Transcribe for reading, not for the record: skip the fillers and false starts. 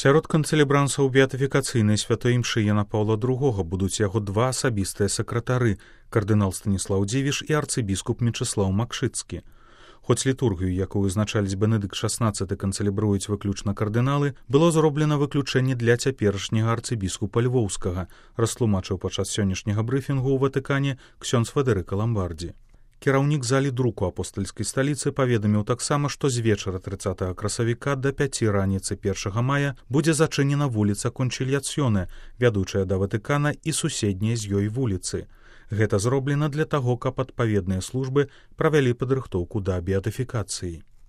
Сярод канцэлебрансаў беатыфікацыйнай святой імшы Яна Паўла II будуць яго два асабістыя сакратары, кардынал Станіслаў Дзівіш і арцыбіскуп Мечыслаў Макшыцкі. Хоць літургію, якую узначаліць Бенедыкт XVI, канцэлебруюць выключна кардыналы, было зроблена выключэнне для цяперашняга арцыбіскупа Львоўскага, растлумачыў падчас сённяшняга брыфінгу ў Ватыкане ксёндз Федэрыка Ламбардзі. Кіраўнік залі друку апостальскай сталіцы паведаміў таксама, што з вечара 30 красавіка да 5 раніцы 1 мая будзе зачынена вуліца Кончильяцьёне, вядучая да Ватыкана і суседнія з ёй вуліцы. Гэта зроблена для таго, каб адпаведныя службы правялі падрыхтоўку да беатыфікацыі.